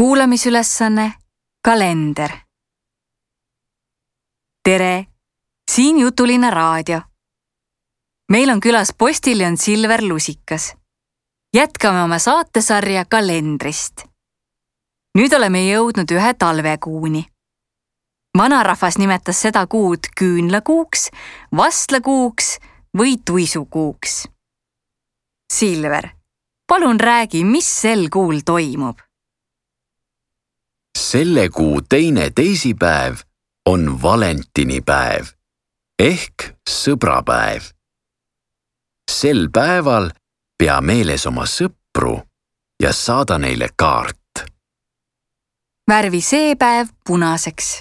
Kuulamisülesanne kalender. Tere, siin Jutulinna raadio. Meil on külas postiljon Silver Lusikas. Jätkame oma saatesarja kalendrist. Nüüd oleme jõudnud ühe talvekuuni. Vanarahvas nimetas seda kuud küünlakuuks, vastlakuuks või tuisukuuks. Silver, palun räägi, mis sel kuul toimub? Selle kuu teine teisipäev on valentinipäev ehk sõbrapäev. Sel päeval pea meeles oma sõpru ja saada neile kaart. Värvi see päev punaseks.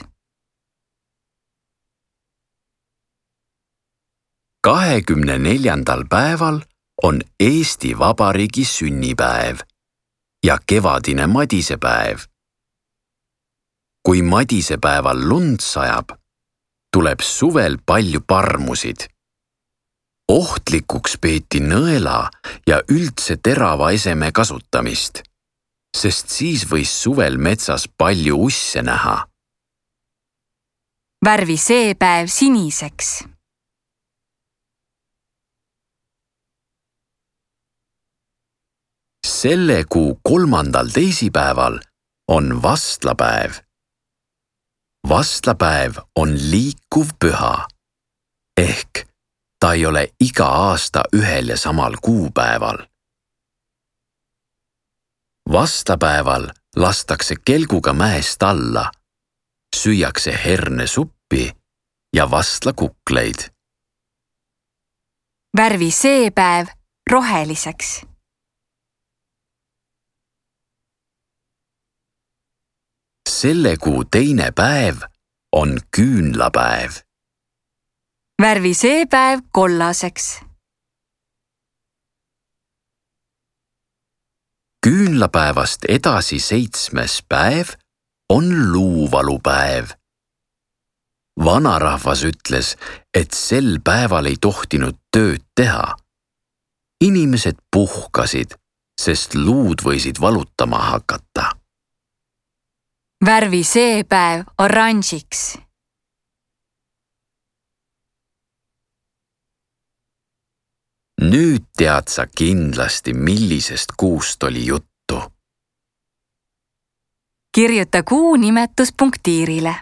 24. päeval on Eesti Vabariigi sünnipäev ja kevadine madisepäev. Kui madisepäeval lund sajab, tuleb suvel palju parmusid. Ohtlikuks peeti nõela ja üldse terava eseme kasutamist, sest siis võis suvel metsas palju usse näha. Värvi see päev siniseks. Selle kuu 3. teisipäeval on vastlapäev. Vastlapäev on liikuv püha, ehk ta ei ole iga aasta ühel ja samal kuupäeval. Vastlapäeval lastakse kelguga mäest alla, süüakse hernesuppi ja vastlakukleid. Värvi see päev roheliseks. Selle kuu teine päev on küünlapäev. Värvi see päev kollaseks. Küünlapäevast edasi 7. päev on luuvalupäev. Vanarahvas ütles, et sel päeval ei tohtinud tööd teha. Inimesed puhkasid, sest luud võisid valutama hakata. Värvi see päev oranžiks. Nüüd tead sa kindlasti, millisest kuust oli juttu. Kirjuta kuu nimetus punktiirile.